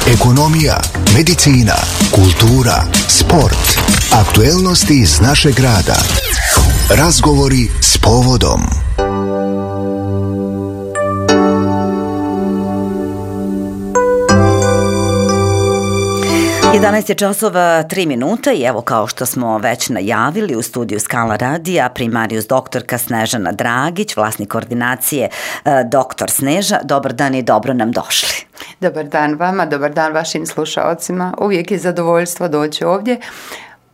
ekonomija, medicina, kultura, sport, aktuelnosti iz našeg grada. Razgovori s povodom. 11 je časova 3 minuta i evo kao što smo već najavili u studiju Skala radija primarijus doktorka Snežana Dragić, vlasnik ordinacije Doktor Sneža. Dobar dan i dobro nam došli. Dobar dan vama, dobar dan vašim slušaocima. Uvijek je zadovoljstvo doći ovdje,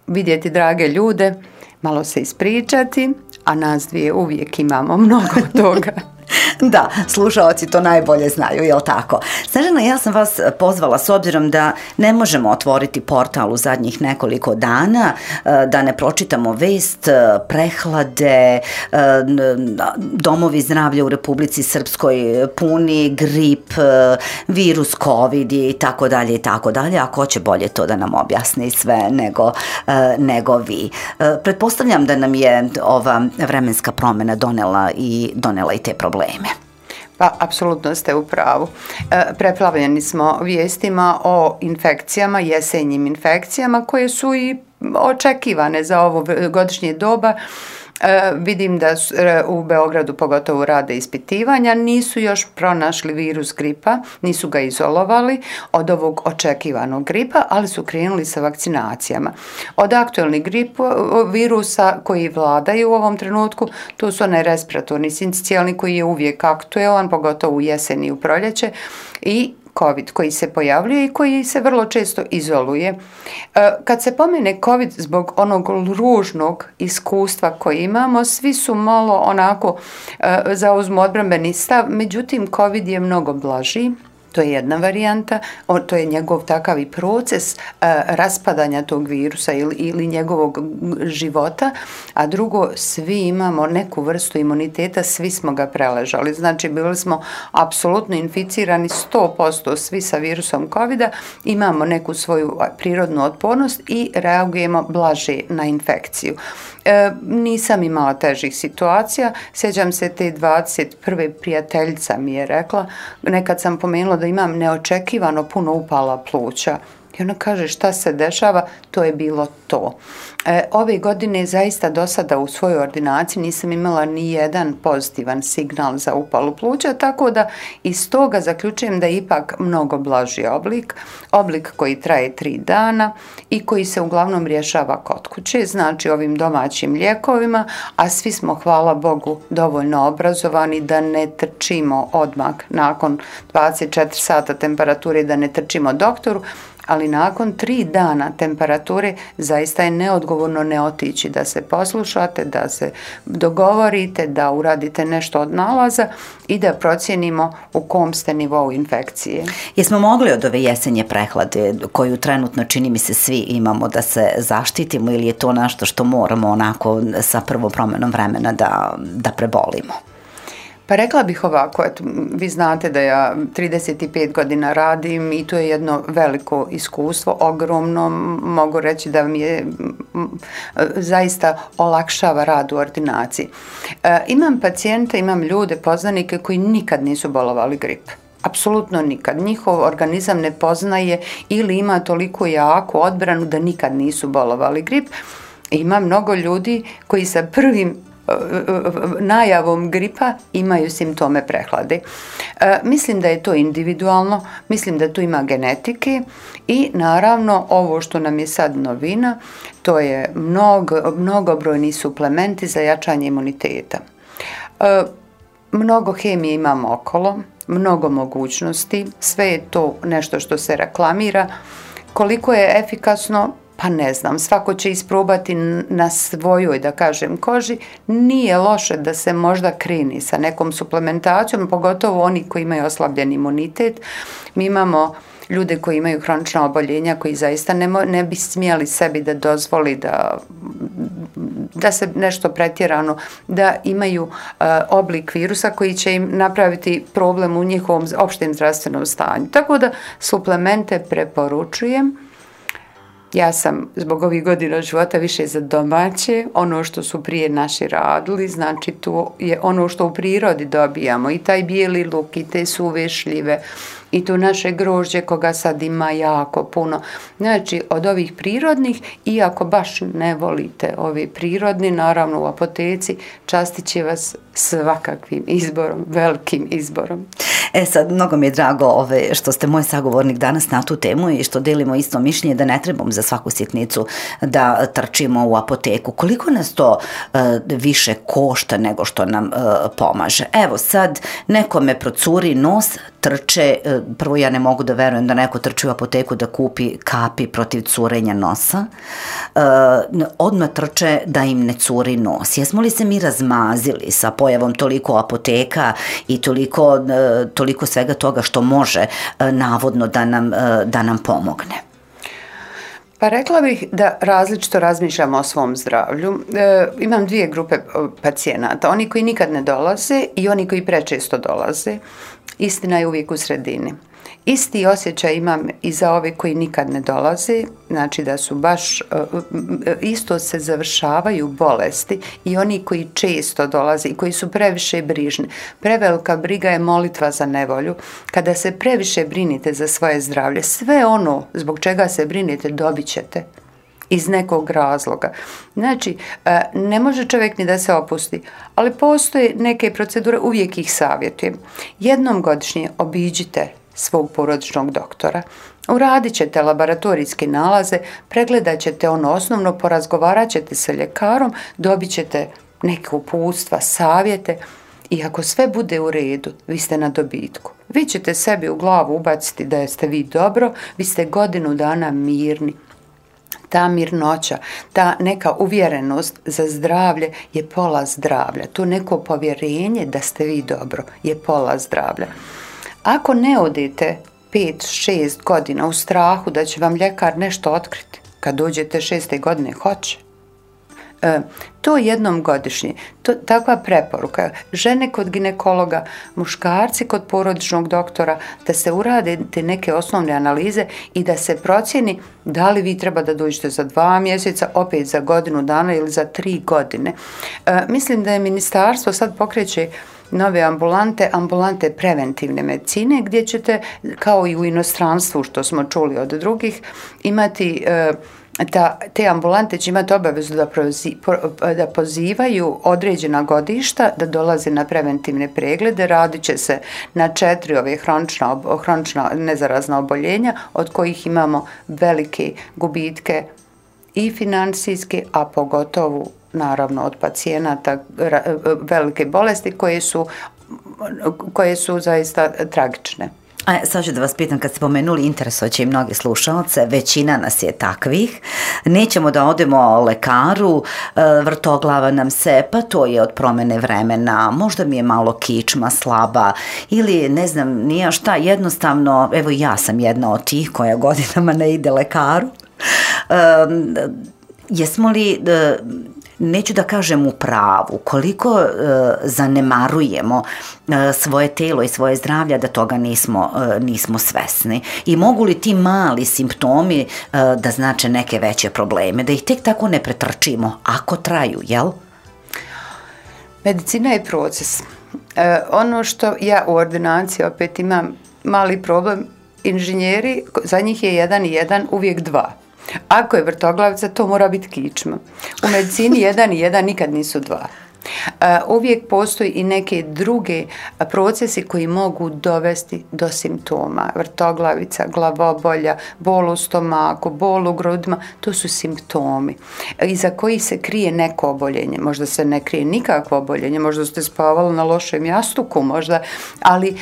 vidjeti drage ljude, malo se ispričati, a nas dvije uvijek imamo mnogo toga. Da, slušaoci to najbolje znaju, jel tako? Snežana, ja sam vas pozvala s obzirom da ne možemo otvoriti portal u zadnjih nekoliko dana, da ne pročitamo vest, prehlade, domovi zdravlja u Republici Srpskoj puni, grip, virus COVID i tako dalje i tako dalje. A ko će bolje to da nam objasni sve nego vi? Pretpostavljam da nam je ova vremenska promjena donela i te probleme. Pa, apsolutno ste u pravu. Preplavljeni smo vijestima o infekcijama, jesenjim infekcijama koje su i očekivane za ovo godišnje doba. Vidim da u Beogradu pogotovo rade ispitivanja, nisu još pronašli virus gripa, nisu ga izolovali od ovog očekivanog gripa, ali su krenuli sa vakcinacijama. Od aktualnih virusa koji vladaju u ovom trenutku, to su onaj respiratorni sincijalni koji je uvijek aktuelan, pogotovo u jesen i u proljeće, i COVID koji se pojavljuje i koji se vrlo često izoluje. Kad se pomene COVID zbog onog ružnog iskustva koje imamo, svi su malo onako zauzmu odbrambeni stav, međutim COVID je mnogo blaži. To je jedna varijanta, to je njegov takav i proces raspadanja tog virusa ili njegovog života, a drugo, svi imamo neku vrstu imuniteta, svi smo ga preležali. Znači, bili smo apsolutno inficirani 100% svi sa virusom COVID-a, imamo neku svoju prirodnu otpornost i reagujemo blaže na infekciju. Nisam imala težih situacija, sjećam se te 21. prijateljica mi je rekla, nekad sam pomenula da imam neočekivano puno upala pluća. I ona kaže šta se dešava, to je bilo to. Ove godine zaista do sada u svojoj ordinaciji nisam imala ni jedan pozitivan signal za upalu pluća, tako da iz toga zaključujem da je ipak mnogo blaži oblik koji traje 3 dana i koji se uglavnom rješava kod kuće, znači ovim domaćim lijekovima, a svi smo, hvala Bogu, dovoljno obrazovani da ne trčimo odmah nakon 24 sata temperature, da ne trčimo doktoru, ali nakon 3 dana temperature zaista je neodgovorno ne otići, da se poslušate, da se dogovorite, da uradite nešto od nalaza i da procijenimo u kom ste nivou infekcije. Jesmo mogli od ove jesenje prehlade, koju trenutno čini mi se svi imamo, da se zaštitimo, ili je to nešto što moramo onako sa prvom promjenom vremena da prebolimo? Pa rekla bih ovako, eto, vi znate da ja 35 godina radim i to je jedno veliko iskustvo, ogromno, mogu reći da mi je zaista olakšava rad u ordinaciji. Imam pacijente, imam ljude, poznanike koji nikad nisu bolovali grip. Apsolutno nikad. Njihov organizam ne poznaje ili ima toliko jaku odbranu da nikad nisu bolovali grip. Ima mnogo ljudi koji sa prvim najavom gripa imaju simptome prehlade. Mislim da je to individualno, mislim da tu ima genetike i naravno ovo što nam je sad novina, to je mnogobrojni suplementi za jačanje imuniteta. Mnogo hemije imamo okolo, mnogo mogućnosti, sve je to nešto što se reklamira. Koliko je efikasno, pa ne znam, svako će isprobati na svojoj, da kažem, koži. Nije loše da se možda kreni sa nekom suplementacijom, pogotovo oni koji imaju oslabljen imunitet. Mi imamo ljude koji imaju hronična oboljenja, koji zaista ne bi smjeli sebi da dozvoli da se nešto pretjerano, da imaju oblik virusa koji će im napraviti problem u njihovom opštem zdravstvenom stanju. Tako da suplemente preporučujem. Ja sam zbog ovih godina života više za domaće, ono što su prije naši radili, znači to je ono što u prirodi dobijamo, i taj bijeli luk, i te suve šljive, i tu naše grožđe koga sad ima jako puno. Znači, od ovih prirodnih, iako baš ne volite ovi prirodni, naravno u apoteci častit će vas svakakvim izborom, velikim izborom. Sad, mnogo mi je drago što ste moj sagovornik danas na tu temu i što delimo isto mišljenje da ne trebamo za svaku sitnicu da trčimo u apoteku. Koliko nas to više košta nego što nam pomaže? Evo sad, nekome procuri nos, trče, prvo ja ne mogu da verujem da neko trči u apoteku da kupi kapi protiv curenja nosa, odmah trče da im ne curi nos. Jesmo li se mi razmazili sa pojavom toliko apoteka i toliko svega toga što može navodno da nam pomogne? Pa rekla bih da različito razmišljamo o svom zdravlju. Imam dvije grupe pacijenata, oni koji nikad ne dolaze i oni koji prečesto dolaze. Istina je uvijek u sredini. Isti osjećaj imam i za ove koji nikad ne dolaze, znači da su baš, isto se završavaju bolesti i oni koji često dolaze i koji su previše brižni. Prevelika briga je molitva za nevolju. Kada se previše brinite za svoje zdravlje, sve ono zbog čega se brinite dobit ćete iz nekog razloga. Znači, ne može čovjek ni da se opusti, ali postoje neke procedure, uvijek ih savjetujem. Jednom godišnje obiđite svog porodičnog doktora, uradit ćete laboratorijske nalaze, pregledat ćete ono osnovno, porazgovarat ćete sa ljekarom, dobit ćete neke uputstva, savjete i ako sve bude u redu, vi ste na dobitku. Vi ćete sebi u glavu ubaciti da ste vi dobro, vi ste godinu dana mirni. Ta mirnoća, ta neka uvjerenost za zdravlje je pola zdravlja. To neko povjerenje da ste vi dobro je pola zdravlja. Ako ne odete 5-6 godina u strahu da će vam ljekar nešto otkriti, kad dođete 6. godine hoće. To jednom godišnje, takva preporuka, žene kod ginekologa, muškarci kod porodičnog doktora, da se urade te neke osnovne analize i da se procjeni da li vi treba da dođete za 2 mjeseca, opet za godinu dana ili za 3 godine. Mislim da je ministarstvo sad pokreće nove ambulante preventivne medicine gdje ćete, kao i u inostranstvu što smo čuli od drugih, imati te ambulante će imati obavezu da pozivaju određena godišta da dolaze na preventivne preglede. Radit će se na 4 ove hronična nezarazna oboljenja od kojih imamo velike gubitke i financijske, a pogotovo naravno od pacijenata velike bolesti koje su zaista tragične. Sad ću da vas pitam, kad ste pomenuli, interesoće i mnogi slušalce, većina nas je takvih, nećemo da odemo lekaru, vrtoglava nam se, pa to je od promene vremena, možda mi je malo kičma slaba ili ne znam nija šta, jednostavno, evo ja sam jedna od tih koja godinama ne ide lekaru. Jesmo li, neću da kažem u pravu, koliko zanemarujemo svoje telo i svoje zdravlje da toga nismo svesni i mogu li ti mali simptomi da znače neke veće probleme, da ih tek tako ne pretrčimo ako traju, jel? Medicina je proces. Ono što ja u ordinaciji opet imam mali problem, inženjeri, za njih je 1 i 1 uvijek 2. Ako je vrtoglavica, to mora biti kičma. U medicini 1 i 1 nikad nisu 2. Uvijek postoji i neke druge procesi koji mogu dovesti do simptoma. Vrtoglavica, glavobolja, bol u stomaku, bol u grudima, to su simptomi iza kojih se krije neko oboljenje. Možda se ne krije nikakvo oboljenje, možda ste spavali na lošem jastuku, možda, ali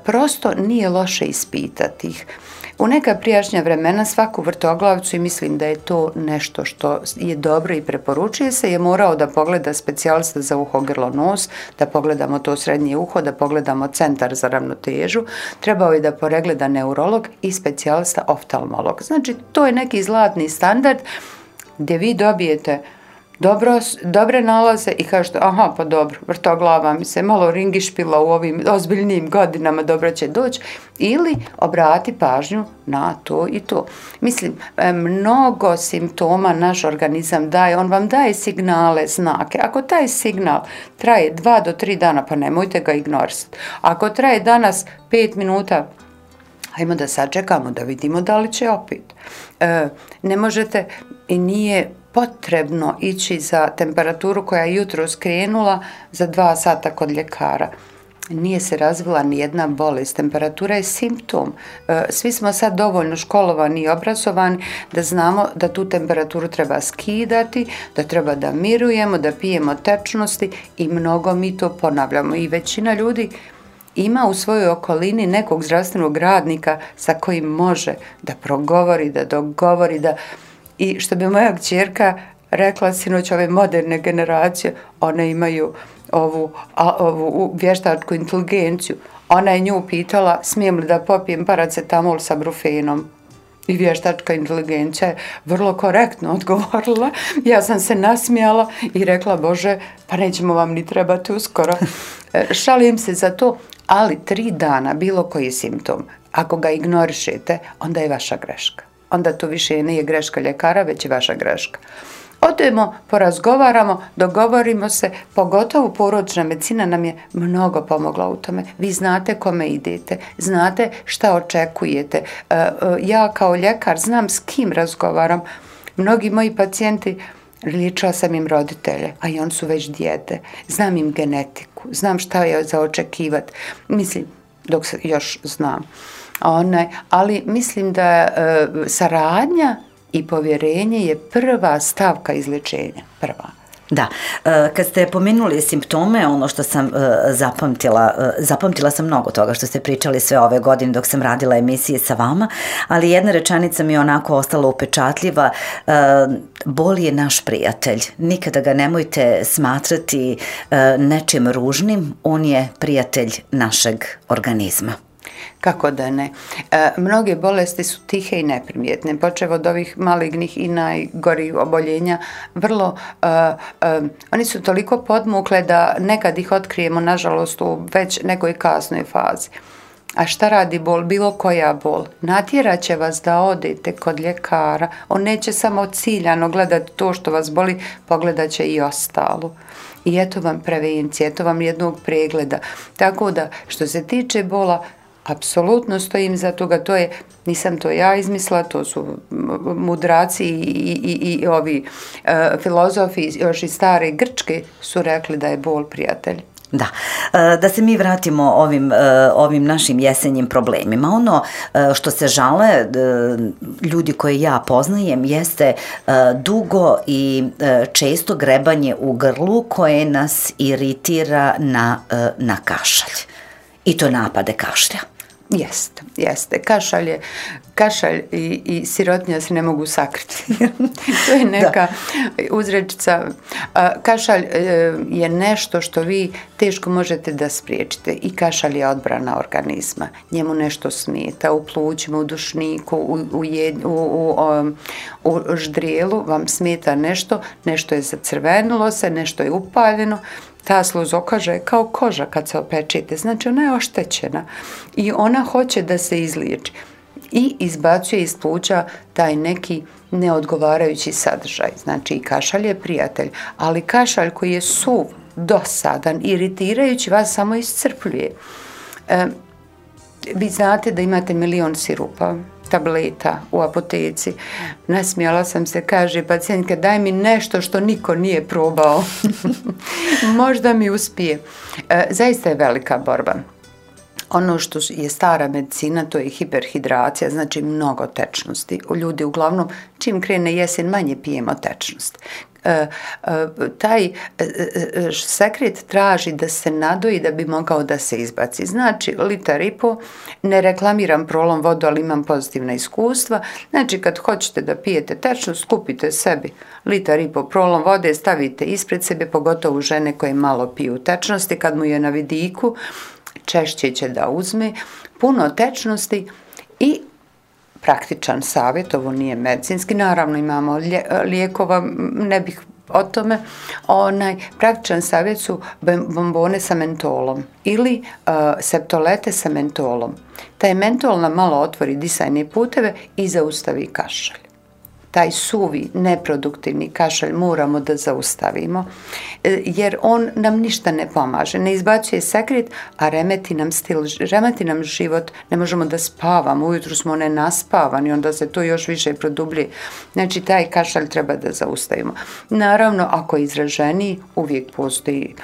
prosto nije loše ispitati ih. U neka prijašnja vremena svaku vrtoglavicu, i mislim da je to nešto što je dobro i preporučuje se, je morao da pogleda specijalista za uho, grlo, nos, da pogledamo to srednje uho, da pogledamo centar za ravnotežu, trebao je da pogleda neurolog i specijalista oftalmolog. Znači, to je neki zlatni standard gdje vi dobijete dobre nalaze i kažete, aha, pa dobro, vrtoglava mi se malo ringišpila u ovim ozbiljnim godinama, dobro će doći, ili obrati pažnju na to i to. Mislim, mnogo simptoma naš organizam daje, on vam daje signale, znake. Ako taj signal traje 2 do 3 dana, pa nemojte ga ignorisati. Ako traje danas 5 minuta, Hajmo da sačekamo, da vidimo da li će opet. Ne možete i nije potrebno ići za temperaturu koja je jutro skrenula za 2 sata kod ljekara. Nije se razvila ni jedna bolest. Temperatura je simptom. Svi smo sad dovoljno školovani i obrazovani da znamo da tu temperaturu treba skidati, da treba da mirujemo, da pijemo tečnosti i mnogo mi to ponavljamo. I većina ljudi ima u svojoj okolini nekog zdravstvenog radnika sa kojim može da progovori, da dogovori, i što bi moja kćerka rekla sinoć, ove moderne generacije, one imaju ovu vještačku inteligenciju. Ona je nju pitala, smijem li da popijem paracetamol sa brufenom? I vještačka inteligencija je vrlo korektno odgovorila. Ja sam se nasmijala i rekla, Bože, pa nećemo vam ni trebati uskoro. Šalim se za to, ali 3 dana bilo koji simptom, ako ga ignorišete, onda je vaša greška. Onda to više nije greška ljekara, već je vaša greška. Odemo, porazgovaramo, dogovorimo se, pogotovo porodična medicina nam je mnogo pomogla u tome. Vi znate kome idete, znate šta očekujete. Ja kao ljekar znam s kim razgovaram. Mnogi moji pacijenti, liječila sam im roditelje, a i oni su već dijete. Znam im genetiku, znam šta je za očekivati. Mislim, dok se još znam. Ali mislim da saradnja i povjerenje je prva stavka izlječenja. Prva. Da, kad ste pomenuli simptome, ono što sam zapamtila sam mnogo toga što ste pričali sve ove godine dok sam radila emisije sa vama, ali jedna rečenica mi je onako ostala upečatljiva, bol je naš prijatelj, nikada ga nemojte smatrati nečim ružnim, on je prijatelj našeg organizma. Kako da ne? Mnoge bolesti su tihe i neprimjetne, počev od ovih malignih i najgorih oboljenja. Oni su toliko podmukle da nekad ih otkrijemo, nažalost, u već nekoj kasnoj fazi. A šta radi bol? Bilo koja bol. Natjerat će vas da odete kod ljekara. On neće samo ciljano gledati to što vas boli, pogledat će i ostalo. I eto vam prevencije, eto vam jednog pregleda. Tako da, što se tiče bola, apsolutno stojim za toga, nisam to ja izmislila, to su mudraci i ovi filozofi još iz stare Grčke su rekli da je bol prijatelj. Da, da se mi vratimo ovim našim jesenjim problemima. Ono što se žale ljudi koje ja poznajem jeste dugo i često grebanje u grlu koje nas iritira na kašalj. I to napade kašlja. Jeste. Kašalj i sirotinja se ne mogu sakriti. To je neka uzrečica. Kašalj je nešto što vi teško možete da spriječite i kašalj je odbrana organizma. Njemu nešto smeta u plućima, u dušniku, u ždrijelu vam smeta nešto je zacrvenilo se, nešto je upaljeno. Ta sluzokoža je kao koža kad se opečete, znači ona je oštećena i ona hoće da se izliječi i izbacuje iz pluća taj neki neodgovarajući sadržaj. Znači i kašalj je prijatelj, ali kašalj koji je suv, dosadan, iritirajući vas samo iscrpljuje. Vi znate da imate 1.000.000 sirupa, tableta u apoteci. Nasmijala sam se, kaže pacijentka, daj mi nešto što niko nije probao. Možda mi uspije. Zaista je velika borba. Ono što je stara medicina, to je hiperhidracija, znači mnogo tečnosti. Ljudi uglavnom, čim krene jesen, manje pijemo tečnost. Taj sekret traži da se nadoji da bi mogao da se izbaci. Znači, 1,5 litara, ne reklamiram Prolom vodu, ali imam pozitivna iskustva. Znači, kad hoćete da pijete tečnost, kupite sebi 1,5 litara Prolom vode, stavite ispred sebe, pogotovo žene koje malo piju tečnosti, kad mu je na vidiku, češće će da uzme puno tečnosti i praktičan savjet, ovo nije medicinski, naravno imamo lijekova, ne bih o tome, praktičan savjet su bombone sa mentolom ili septolete sa mentolom. Taj mentol nam malo otvori disajne puteve i zaustavi kašalj. taj suvi, neproduktivni kašalj moramo da zaustavimo, jer on nam ništa ne pomaže, ne izbacuje sekret, a remeti nam stil, remeti nam život, ne možemo da spavamo, ujutru smo nenaspavani, onda se to još više produblji. Znači, taj kašalj treba da zaustavimo. Naravno, ako je izraženiji, uvijek postoji,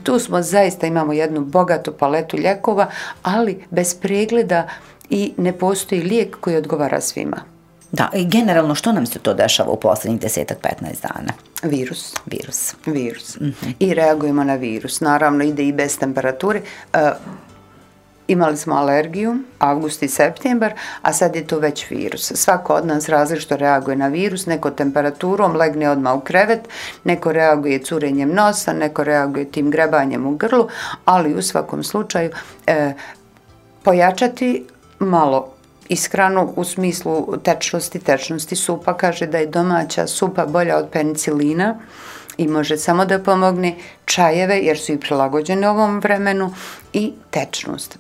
tu smo zaista, imamo jednu bogatu paletu lijekova, ali bez pregleda i ne postoji lijek koji odgovara svima. Da, i generalno što nam se to dešava u posljednjih 10-15 dana? Virus. I reagujemo na virus. Naravno, ide i bez temperature. Imali smo alergiju, avgust i septembar, a sad je to već virus. Svako od nas različito reaguje na virus, neko temperaturom, legne odmah u krevet, neko reaguje curenjem nosa, neko reaguje tim grebanjem u grlu, ali u svakom slučaju pojačati malo ishranu u smislu tečnosti supa. Kaže da je domaća supa bolja od penicilina i može samo da pomogne, čajeve jer su i prilagođene ovom vremenu i tečnost.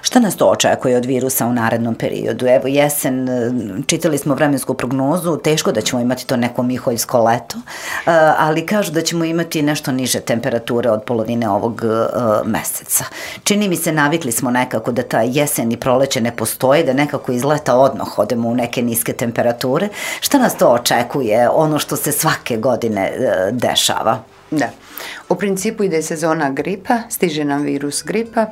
Šta nas to očekuje od virusa u narednom periodu? Evo jesen, čitali smo vremensku prognozu, teško da ćemo imati to neko miholjsko leto, ali kažu da ćemo imati nešto niže temperature od polovine ovog meseca. Čini mi se, navikli smo nekako da ta jesen i proleće ne postoje, da nekako iz leta odmah odemo u neke niske temperature. Šta nas to očekuje, ono što se svake godine dešava? Da, u principu ide sezona gripa, stiže nam virus gripa,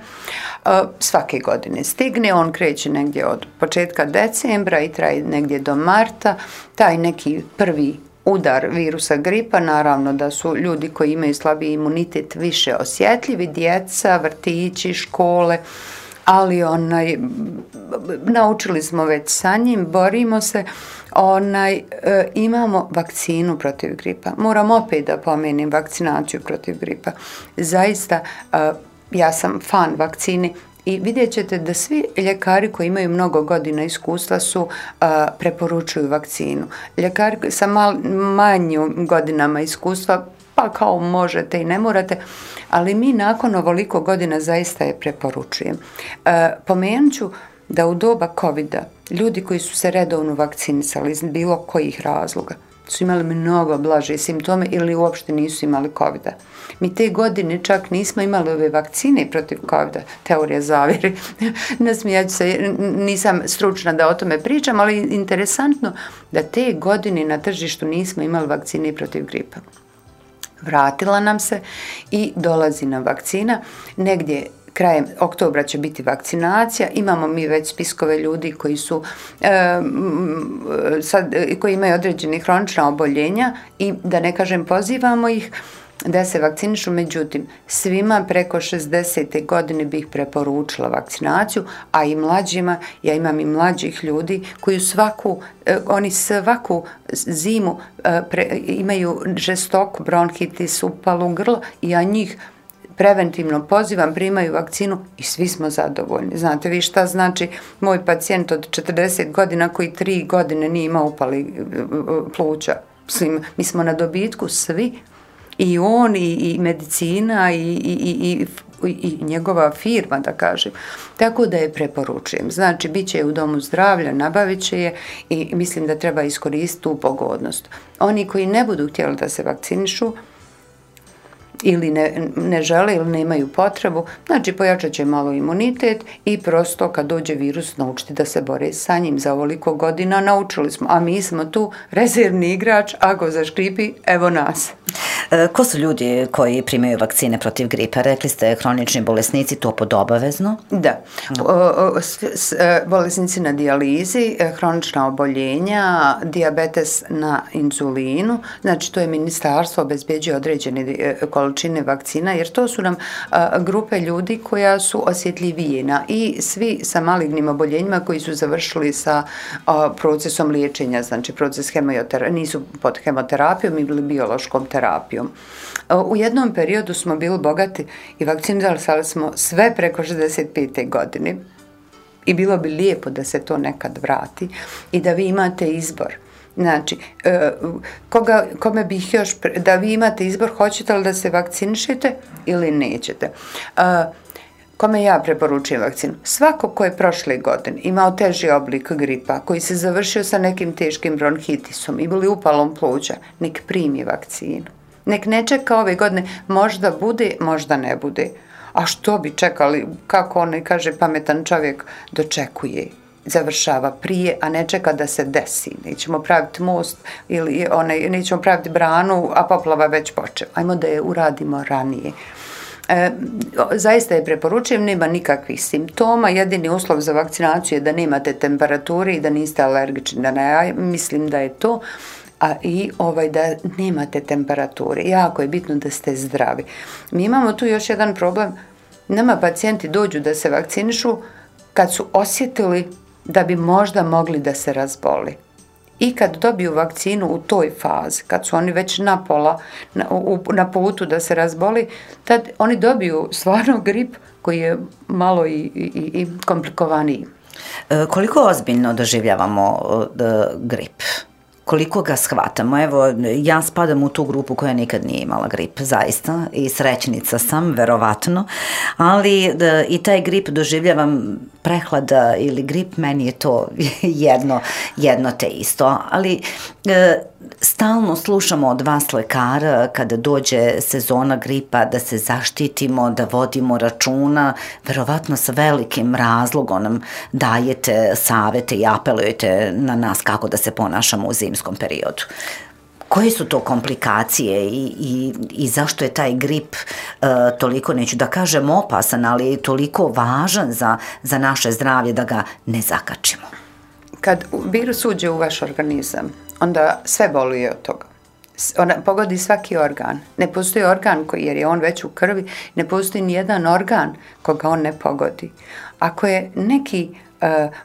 svake godine stigne, on kreće negdje od početka decembra i traje negdje do marta, taj neki prvi udar virusa gripa, naravno da su ljudi koji imaju slabiji imunitet više osjetljivi, djeca, vrtići, škole, ali naučili smo već sa njim, borimo se, imamo vakcinu protiv gripa. Moram opet da pomenem vakcinaciju protiv gripa. Zaista, ja sam fan vakcine i vidjet ćete da svi ljekari koji imaju mnogo godina iskustva preporučuju vakcinu. Ljekari sa manjim godinama iskustva, pa kao možete i ne morate, ali mi nakon ovoliko godina zaista je preporučujem. Pomenut ću da u doba COVID-a ljudi koji su se redovno vakcinisali iz bilo kojih razloga su imali mnogo blaže simptome ili uopšte nisu imali COVID-a. Mi te godine čak nismo imali ove vakcine protiv COVID-a, teorija zavjere. Nasmijat ću se, nisam stručna da o tome pričam, ali interesantno da te godine na tržištu nismo imali vakcine protiv gripa. Vratila nam se i dolazi nam vakcina. Negdje krajem oktobra će biti vakcinacija. Imamo mi već spiskove ljudi koji su koji imaju određene hronična oboljenja i da ne kažem pozivamo ih da se vakcinišu, međutim svima preko 60. godine bih preporučila vakcinaciju, a i mlađima, ja imam i mlađih ljudi koji oni svaku zimu imaju žestok bronhitis, upalu grlo i ja njih preventivno pozivam, primaju vakcinu i svi smo zadovoljni. Znate vi šta znači moj pacijent od 40 godina koji 3 godine nije imao upali pluća. Mi smo na dobitku svi, i on i medicina i njegova firma, da kažem. Tako da je preporučujem. Znači, bit će u domu zdravlja, nabavit će je i mislim da treba iskoristiti tu pogodnost. Oni koji ne budu htjeli da se vakcinišu ili ne žele ili nemaju potrebu, znači pojačat će malo imunitet i prosto kad dođe virus naučiti da se bore sa njim. Za ovoliko godina naučili smo, a mi smo tu rezervni igrač, ako zaškripi, evo nas. Ko su ljudi koji primaju vakcine protiv gripa? Rekli ste hronični bolesnici, to pod obavezno? Da. Bolesnici na dijalizi, hronična oboljenja, dijabetes na inzulinu, znači to je ministarstvo obezbeđuje određene količine vakcina, jer to su nam grupe ljudi koja su osjetljivije i svi sa malignim oboljenjima koji su završili sa procesom liječenja, znači proces nisu pod hemoterapijom ili biološkom terapijom. U jednom periodu smo bili bogati i vakcinisali smo sve preko 65. godine i bilo bi lijepo da se to nekad vrati i da vi imate izbor. Znači, kome bih još, da vi imate izbor, hoćete li da se vakcinišete ili nećete. kome ja preporučujem vakcinu? Svako ko je prošle godine imao teži oblik gripa, koji se završio sa nekim teškim bronhitisom i bili upalom pluća, nek primi vakcinu. Nek ne čeka ove godine, možda bude, možda ne bude. A što bi čekali, kako onaj kaže pametan čovjek, dočekuje, završava prije, a ne čeka da se desi. Nećemo praviti most ili nećemo praviti branu, a poplava već počela. Ajmo da je uradimo ranije. Zaista je preporučujem, nema nikakvih simptoma, jedini uslov za vakcinaciju je da nemate temperature i da niste alergični, mislim da je to, a i da nemate temperature. Jako je bitno da ste zdravi. Mi imamo tu još jedan problem, nama pacijenti dođu da se vakcinišu kad su osjetili da bi možda mogli da se razboli. I kad dobiju vakcinu u toj fazi, kad su oni već na putu da se razboli, tad oni dobiju stvarno grip koji je malo i komplikovaniji. Koliko ozbiljno doživljavamo grip? Koliko ga shvatamo? Evo, ja spadam u tu grupu koja nikad nije imala grip, zaista, i srećnica sam, verovatno, ali i taj grip doživljavam, prehlada ili grip, meni je to jedno te isto, ali stalno slušamo od vas lekara kada dođe sezona gripa da se zaštitimo, da vodimo računa, verovatno sa velikim razlogom nam dajete savete i apelujete na nas kako da se ponašamo u zimskom periodu. Koje su to komplikacije i zašto je taj grip toliko, neću da kažem opasan, ali toliko važan za naše zdravlje da ga ne zakačimo? Kad virus uđe u vaš organizam, onda sve boluje od toga. Ona pogodi svaki organ. Ne postoji organ jer je on već u krvi, ne postoji ni jedan organ koga on ne pogodi. Ako je neki,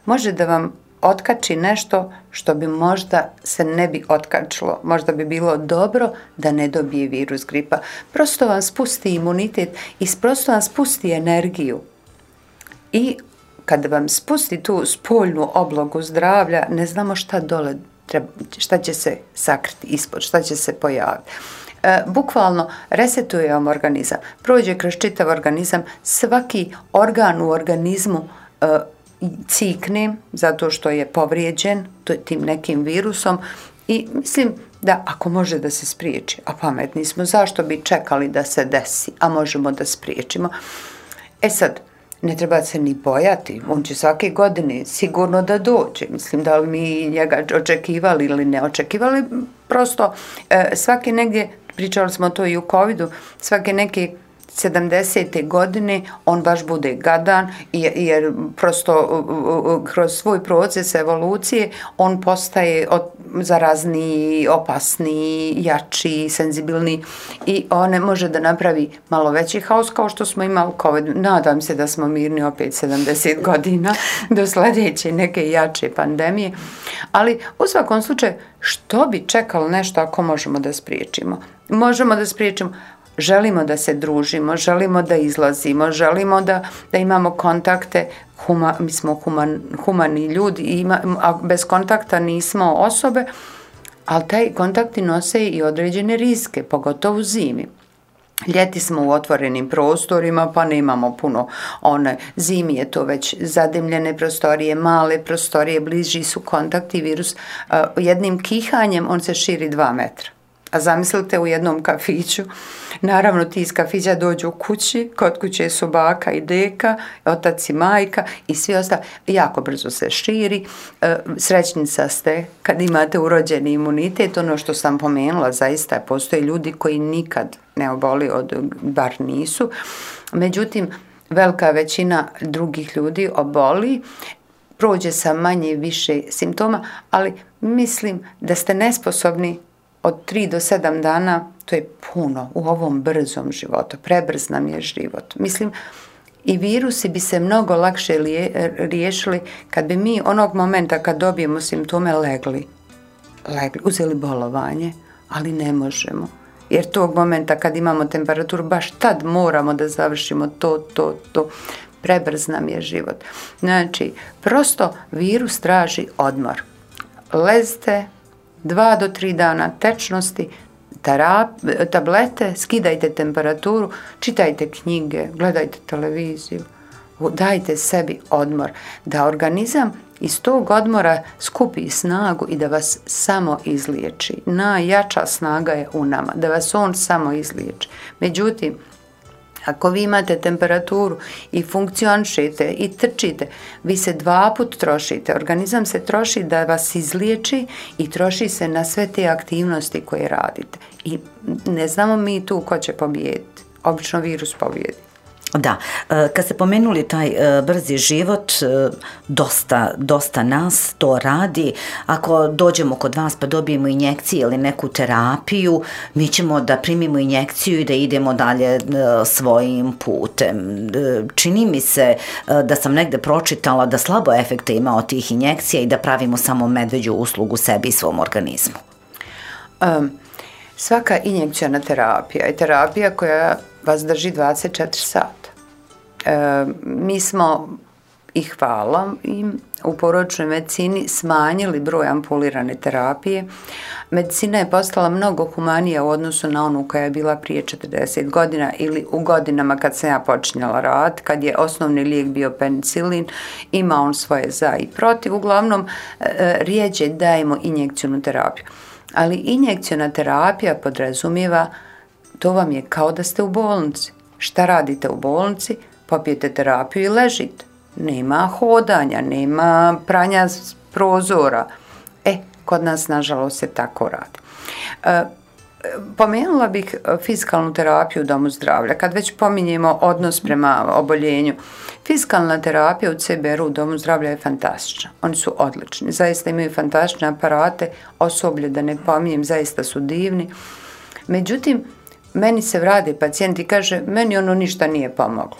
može da vam otkači nešto što bi možda se ne bi otkačilo. Možda bi bilo dobro da ne dobije virus gripa. Prosto vam spusti imunitet i prosto vam spusti energiju. I kada vam spusti tu spoljnu oblogu zdravlja, ne znamo šta dole treba, šta će se sakriti ispod, šta će se pojaviti. Bukvalno resetuje vam organizam, prođe kroz čitav organizam, svaki organ u organizmu cikne zato što je povrijeđen tim nekim virusom i mislim da ako može da se spriječi, a pametni smo, zašto bi čekali da se desi, a možemo da spriječimo. Sad, ne treba se ni bojati, on će svake godine sigurno da dođe. Mislim da li mi njega očekivali ili ne očekivali, prosto svake negdje, pričali smo to i u covidu, svake neke 70. godine on baš bude gadan jer prosto kroz svoj proces evolucije on postaje zarazniji, opasniji, jači, senzibilniji i on ne može da napravi malo veći haos kao što smo imali COVID. Nadam se da smo mirni opet 70 godina do sljedeće neke jače pandemije, ali u svakom slučaju što bi čekalo nešto ako možemo da spriječimo? Možemo da spriječimo. Želimo da se družimo, želimo da izlazimo, želimo da imamo kontakte, mi smo humani ljudi, a bez kontakta nismo osobe, ali taj kontakti nose i određene rizike, pogotovo u zimi. Ljeti smo u otvorenim prostorima, pa nemamo puno zimi je to već zadimljene prostorije, male prostorije, bliži su kontakti, virus jednim kihanjem on se širi 2 metra. A zamislite u jednom kafiću, naravno ti iz kafića dođu u kući, kod kuće su baka i deka, otac i majka i svi ostali, jako brzo se širi, srećnica ste kad imate urođeni imunitet, ono što sam pomenula, zaista postoje ljudi koji nikad ne oboli, bar nisu, međutim velika većina drugih ljudi oboli, prođe sa manje više simptoma, ali mislim da ste nesposobni od 3 do 7 dana, to je puno u ovom brzom životu. Prebrz nam je život. Mislim, i virusi bi se mnogo lakše riješili kad bi mi onog momenta kad dobijemo simptome legli, uzeli bolovanje, ali ne možemo. Jer tog momenta kad imamo temperaturu, baš tad moramo da završimo to. Prebrz nam je život. Znači, prosto virus traži odmor. Lezite 2 do 3 dana tečnosti, tablete, skidajte temperaturu, čitajte knjige, gledajte televiziju, dajte sebi odmor, da organizam iz tog odmora skupi snagu i da vas samo izliječi. Najjača snaga je u nama, da vas on samo izliječi. Međutim, ako vi imate temperaturu i funkcionišete i trčite, vi se 2 puta trošite. Organizam se troši da vas izliječi i troši se na sve te aktivnosti koje radite. I ne znamo mi tu ko će pobijediti. Obično virus pobijedi. Da, kad ste pomenuli taj brzi život, dosta nas to radi. Ako dođemo kod vas pa dobijemo injekcije ili neku terapiju, mi ćemo da primimo injekciju i da idemo dalje svojim putem. Čini mi se da sam negde pročitala da slabo efekte ima od tih injekcija i da pravimo samo medveđu uslugu sebi i svom organizmu. Svaka injekcijna terapija je terapija koja vas drži 24 sata. Mi smo, i hvala im, u porodičnoj medicini smanjili broj ampulirane terapije. Medicina je postala mnogo humanija u odnosu na onu koja je bila prije 40 godina ili u godinama kad sam ja počinjala rad, kad je osnovni lijek bio penicilin, ima on svoje za i protiv. Uglavnom, rijeđe dajemo injekcijnu terapiju. Ali injekcijna terapija podrazumijeva, to vam je kao da ste u bolnici. Šta radite u bolnici? Popijete terapiju i ležite. Nema hodanja, nema pranja prozora. Kod nas, nažalost, se tako radi. Pomenula bih fizikalnu terapiju u domu zdravlja. Kad već pominjemo odnos prema oboljenju, fizikalna terapija u CBR u domu zdravlja je fantastična. Oni su odlični. Zaista imaju fantastične aparate, osoblje, da ne pominjem, zaista su divni. Međutim, meni se vrade pacijent i kaže, meni ono ništa nije pomoglo.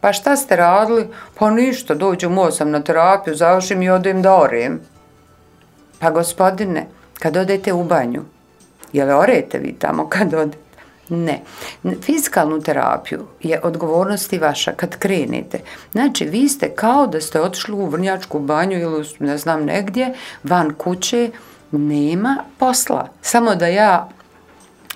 Pa šta ste radili? Pa ništa, dođem u 8 na terapiju, završim i odem da orem. Pa gospodine, kad odete u banju, jel orete vi tamo kad odete? Ne. Fizikalnu terapiju je odgovornost i vaša kad krenete. Znači, vi ste kao da ste otišli u vrnjačku banju ili ne znam negdje, van kuće, nema posla. Samo da ja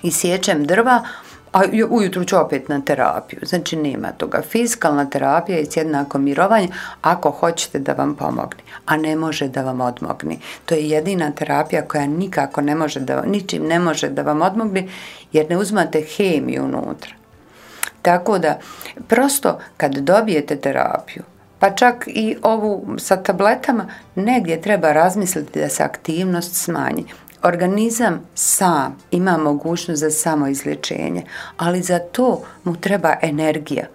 isječem drva, a ujutru ću opet na terapiju. Znači, nema toga. Fizikalna terapija je jednako mirovanje ako hoćete da vam pomogne, a ne može da vam odmogne. To je jedina terapija koja nikako ne može ničim ne može da vam odmogne, jer ne uzmate hemiju unutra. Tako da, prosto kad dobijete terapiju, pa čak i ovu sa tabletama, negdje treba razmisliti da se aktivnost smanji. Organizam sam ima mogućnost za samoizlječenje, ali za to mu treba energija.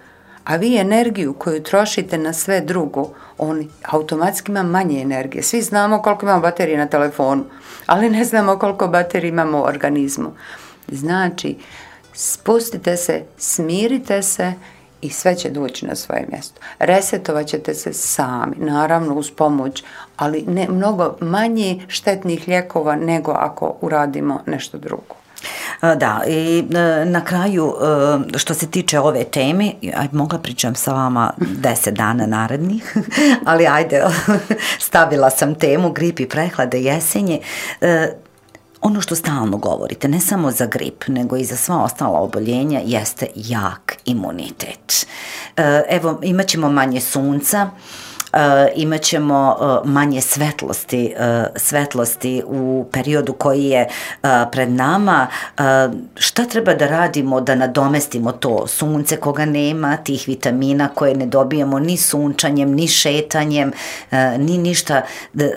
A vi energiju koju trošite na sve drugo, on automatski ima manje energije. Svi znamo koliko imamo baterije na telefonu, ali ne znamo koliko baterije imamo u organizmu. Znači, spustite se, smirite se i sve će doći na svoje mjesto. Resetovat ćete se sami, naravno uz pomoć, ali ne mnogo manje štetnih lijekova nego ako uradimo nešto drugo. Da, i na kraju, što se tiče ove teme, mogla pričam sa vama 10 dana narednih, ali ajde, stavila sam temu grip i prehlade jesenje. Ono što stalno govorite, ne samo za grip, nego i za sva ostala oboljenja, jeste jak imunitet. Evo, imat ćemo manje sunca, imat ćemo manje svetlosti u periodu koji je pred nama. Šta treba da radimo da nadomestimo to sunce koga nema, tih vitamina koje ne dobijemo ni sunčanjem, ni šetanjem, ni ništa?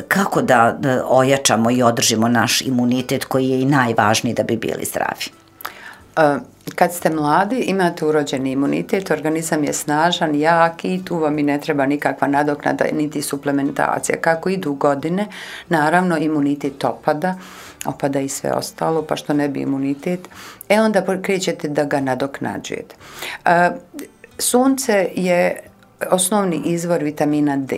Kako da ojačamo i održimo naš imunitet koji je i najvažniji da bi bili zdravi? Kad ste mladi, imate urođeni imunitet, organizam je snažan, jak i tu vam i ne treba nikakva nadoknada niti suplementacija. Kako idu godine, naravno imunitet opada i sve ostalo, pa što ne bi imunitet, onda krećete da ga nadoknađujete. Sunce je osnovni izvor vitamina D.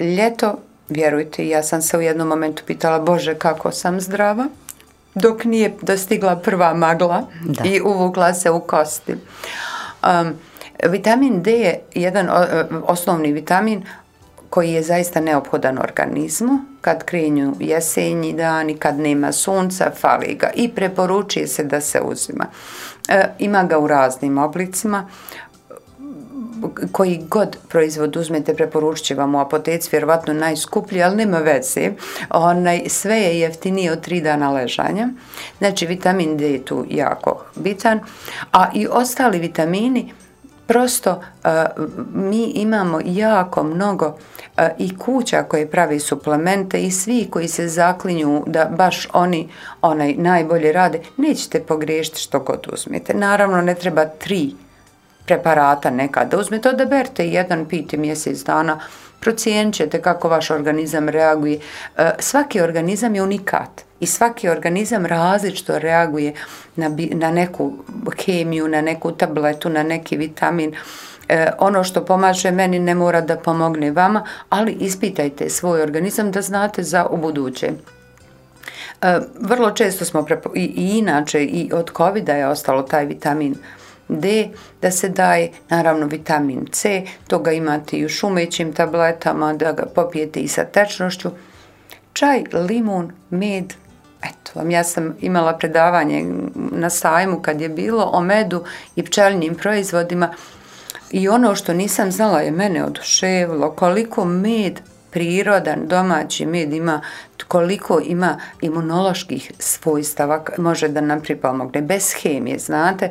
Ljeto, vjerujte, ja sam se u jednom momentu pitala, Bože, kako sam zdrava, dok nije dostigla prva magla i uvukla se u kosti. Vitamin D je jedan osnovni vitamin koji je zaista neophodan organizmu. Kad krenju jesenji dani, kad nema sunca, fali ga i preporučuje se da se uzima. Ima ga u raznim oblicima. koji god proizvod uzmete, preporučit će vam u apoteci, vjerovatno najskuplji, ali nema veze. Sve je jeftinije od 3 dana ležanja. Znači, vitamin D je tu jako bitan, a i ostali vitamini, prosto mi imamo jako mnogo i kuća koje pravi suplemente i svi koji se zaklinju da baš oni najbolje rade, nećete pogriješiti što god uzmete. Naravno, ne treba 3 preparata nekada uzmete, odaberite jedan, pijte mjesec dana, procijenit ćete kako vaš organizam reaguje. Svaki organizam je unikat i svaki organizam različito reaguje na neku kemiju, na neku tabletu, na neki vitamin. Ono što pomaže meni ne mora da pomogne vama, ali ispitajte svoj organizam da znate za ubuduće. Vrlo često smo i inače i od COVID-a je ostalo taj vitamin D da se daje, naravno vitamin C, toga imate i u šumećim tabletama, da ga popijete i sa tečnošću. Čaj, limun, med, eto vam, ja sam imala predavanje na sajmu kad je bilo o medu i pčelinjim proizvodima i ono što nisam znala je mene oduševilo, koliko med, prirodan, domaći med ima, koliko ima imunoloških svojstava, može da nam pripomogne, bez hemije, znate.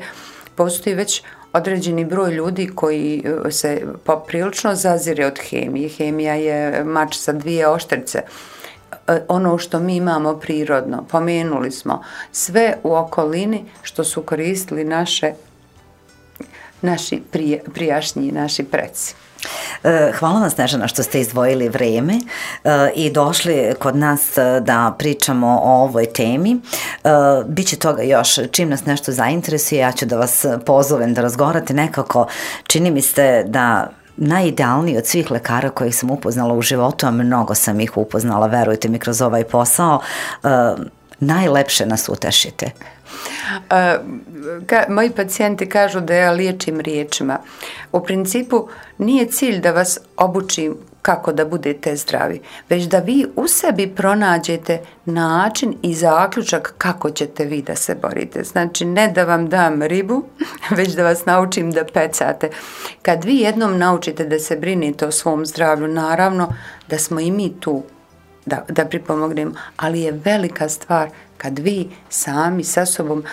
Postoji već određeni broj ljudi koji se poprilično zazire od hemije. Hemija je mač sa 2 oštrice. Ono što mi imamo prirodno, pomenuli smo sve u okolini što su koristili naši prijašnji, naši preci. Hvala vam, Snežana, što ste izdvojili vreme i došli kod nas da pričamo o ovoj temi. Biće toga još, čim nas nešto zainteresuje, ja ću da vas pozovem da razgovarate. Nekako čini mi se da najidealniji od svih lekara kojih sam upoznala u životu, a mnogo sam ih upoznala, verujte mi, kroz ovaj posao, najlepše nas utešite. Moji pacijenti kažu da ja liječim riječima. U principu nije cilj da vas obučim kako da budete zdravi, već da vi u sebi pronađete način i zaključak kako ćete vi da se borite. Znači, ne da vam dam ribu, već da vas naučim da pecate. Kad vi jednom naučite da se brinete o svom zdravlju, naravno da smo i mi tu da pripomognemo, ali je velika stvar kad vi sami sa sobom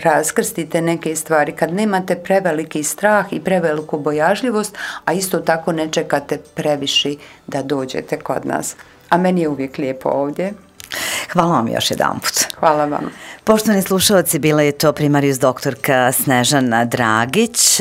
raskrstite neke stvari, kad nemate preveliki strah i preveliku bojažljivost, a isto tako ne čekate previše da dođete kod nas. A meni je uvijek lijepo ovdje. Hvala vam još jedanput. Hvala vam. Poštovani slušalci, bila je to primarijus doktorka Snežana Dragić,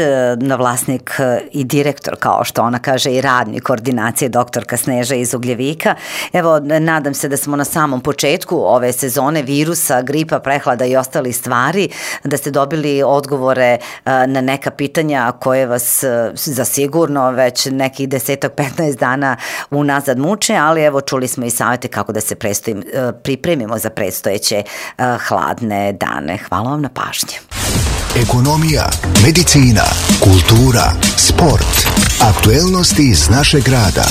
vlasnik i direktor, kao što ona kaže, i radnik koordinacije doktorka Sneža iz Ugljevika. Evo, nadam se da smo na samom početku ove sezone virusa, gripa, prehlada i ostali stvari, da ste dobili odgovore na neka pitanja koje vas zasigurno već nekih 10-15 dana unazad muče, ali evo, čuli smo i savjete kako da se pripremimo za predstojeće hladne dane. Hvala vam na pažnji. Ekonomija, medicina, kultura, sport, aktuelnosti iz našeg grada.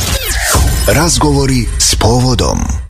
Razgovori s povodom.